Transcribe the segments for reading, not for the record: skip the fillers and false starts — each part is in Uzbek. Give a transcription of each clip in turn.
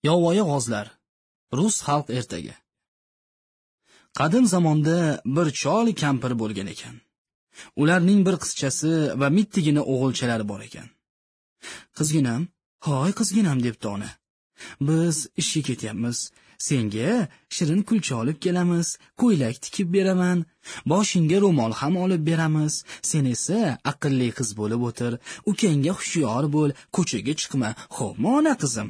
Yovvoyi g'ozlar. Rus xalq ertagi. Qadim zamonda bir chol kampir bo'lgan ekan. Ularning bir qizchasi va mittigina o'g'ilchalari bor ekan. Qizginam, hoy qizginam debdi ona. Biz ishga ketyapmiz. Senga shirin kulcha olib kelamiz, ko'ylak tikib beraman, boshingga ro'mol ham olib beramiz. Sen esa aqlli qiz bo'lib o'tir, ukangga hushyor bo'l, ko'chaga chiqma. Xo'pmi ona qizim?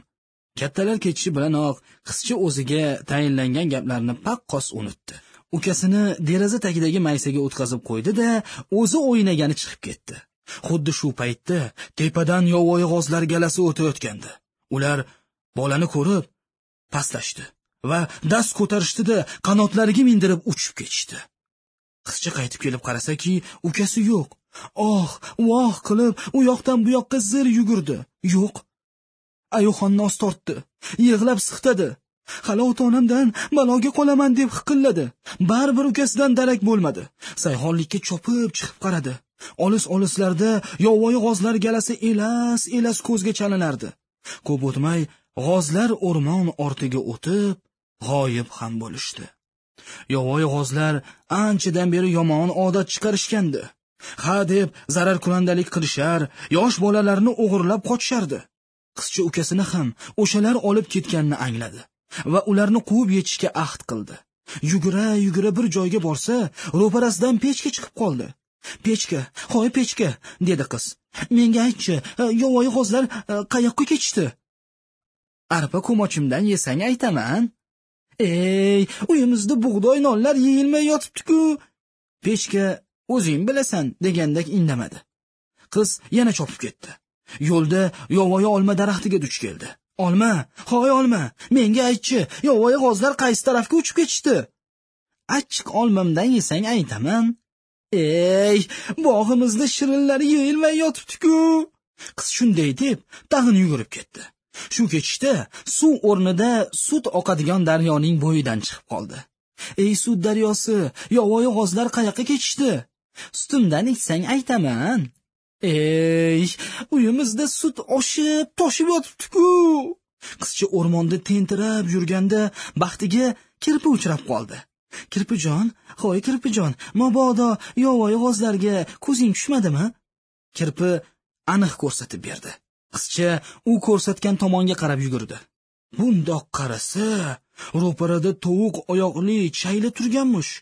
Kattalar ketishi bilanoq qizcha o'ziga tayinlangan gaplarni paqqos unutdi. Ukasini deraza tagidagi maysaga o'tkazib qo'ydi-da, o'zi o'ynagani chiqib ketdi. Xuddi shu paytda tepadan yovvoyi g'ozlar galasi o'tayotgandi. Ular bolani ko'rib pastlashdi va dast ko'tarishdi-da, qanotlariga mindirib uchib ketishdi. Qizcha qaytib kelib qarasaki, ukasi yo'q. Oh, voh qilib u yoqdan bu yoqqa zir yugurdi. Yo'q. Ayo'xonni os tortdi, yig'lab siqtadi. Hali ota-onamdan baloga qolaman deb hiqilladi. Baribir ukasidan darak bo'lmadi. Sayhonlikka chopib chiqib qaradi. Olis-olislarda yovvoyi g'ozlar galasi elas-elas ko'zga chalinardi. Ko'p o'tmay g'ozlar o'rmon ortiga o'tib, g'oyib ham bo'lishdi. Yovvoyi g'ozlar anchadan beri yomon odat chiqarishgandi. Ha deb zararkunandalik qilishar, yosh bolalarni o'g'irlab qochishardi. Qizcha ukasini ham o'shalar olib ketganini angladi va ularni quvib yetishga ahd qildi. Yugura-yugura bir joyga borsa, ro'parasidan pechka chiqib qoldi. "Pechka, hoy pechka", dedi qiz. "Menga aytchi, yovvoyi g'ozlar qayoqqa ketishdi?" "Arpa ko'mochimdan yesang aytaman." "Ey, uyimizda bug'doy nonlar yeyilmay yotibdi-ku." Pechka "O'zing bilasan" degandek indamadi. Qiz yana chopib ketdi. Yo'lda yovvoyi olma daraxtiga duch keldi. "Olma, hoy olma, menga aytchi, yovvoyi g'ozlar qaysi tarafga uchib ketishdi?" "Achchiq olmamdan yesang aytaman." "Ey, bog'imizda shirinlari yeyilmay yotibdi-ku." Qiz shunday deb tag'in yugurib ketdi. Shu ketishda suv o'rnida sut oqadigan daryoning bo'yidan chiqib qoldi. "Ey sut daryosi, yovvoyi g'ozlar qayoqqa ketishdi?" "Sutimdan ichsang aytaman." "Ey, uyimizda sut oshib, toshib yotibdi-ku." Qizcha o'rmonda tentirab yurganda baxtiga kirpi uchrab qoldi. "Kirpijon, hoy kirpijon, mabodo yovvoyi g'ozlarga ko'zing tushmadimi?" Kirpi aniq ko'rsatib berdi. Qizcha u ko'rsatgan tomonga qarab yugurdi. Bundoq qarasa, ro'parada tovuq oyoqli chayla turganmish.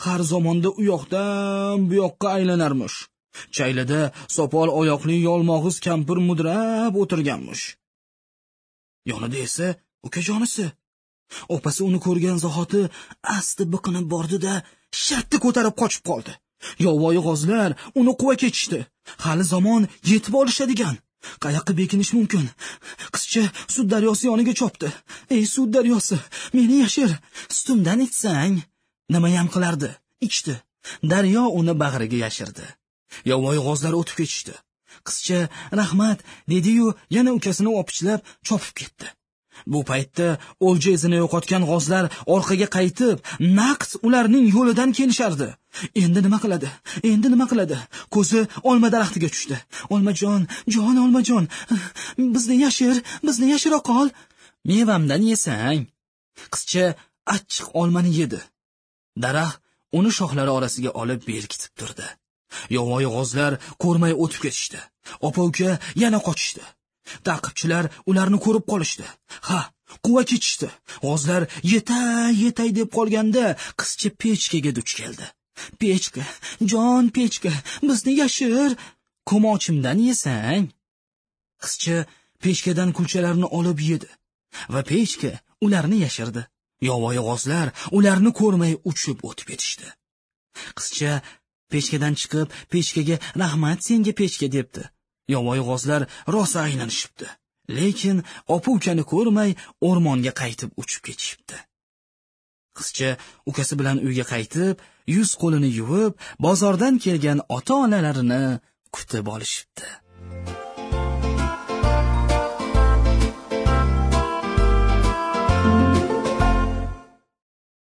Har zamonda u yoqdan bu yoqqa aylanarmish. Chaylada sopol oyoqli yolmog'iz kampir mudrab o'tirganmish. Yonida esa ukajonisi. Opasi uni ko'rgan zahoti asti biqinib bordi-da, shartta ko'tarib qochib qoldi. Yovvoyi g'ozlar uni quva ketishdi. Hali zamon yetib olishadigan. Qayoqqa bekinish mumkin? Qizcha sut daryosi yoniga chopdi. "Ey sut daryosi, meni yashir, sutimdan ichsang." Nimayam qilardi? Ichdi. Daryo uni bag'riga yashirdi. Yovvoyi g'ozlar o'tib ketishdi. Qizcha "Rahmat" dedi-yu, yana ukasini opichlab chopib ketdi. Bu paytda o'lja izini yo'qotgan g'ozlar orqaga qaytib, naqd ularning yo'lidan kelishardi. Endi nima qiladi? Endi nima qiladi? Ko'zi olma daraxtiga tushdi. "Olmajon, jon olmajon, bizni yashir, bizni yashira qol. Mevamdan yesang." Qizcha achchiq olmani yedi. Daraxt uni shoxlari orasiga olib berkitib turdi. Yovvoyi g'ozlar ko'rmay o'tib ketishdi. Opa-uka yana qochishdi. Ta'qibchilar ularni ko'rib qolishdi. Ha, quva ketishdi. G'ozlar yetay-yetay deb qolganda qizcha pechkaga duch keldi. "Pechka, jon pechka, bizni yashir, ko'mochimdan yesang." Qizcha pechkadan kulchalarni olib yedi va pechka ularni yashirdi. Yovvoyi g'ozlar ularni ko'rmay uchib o'tib ketishdi. Qizcha pechkadan chiqib, pechkaga "Rahmat senga pechka" debdi. Yovvoyi g'ozlar rosa aylanishibdi. Lekin opa-ukani ko'rmay o'rmonga qaytib uchib ketishibdi. Qizcha ukasi bilan uyga qaytib, yuz qo'lini yuvib, bozordan kelgan ota-onalarini kutib olishibdi.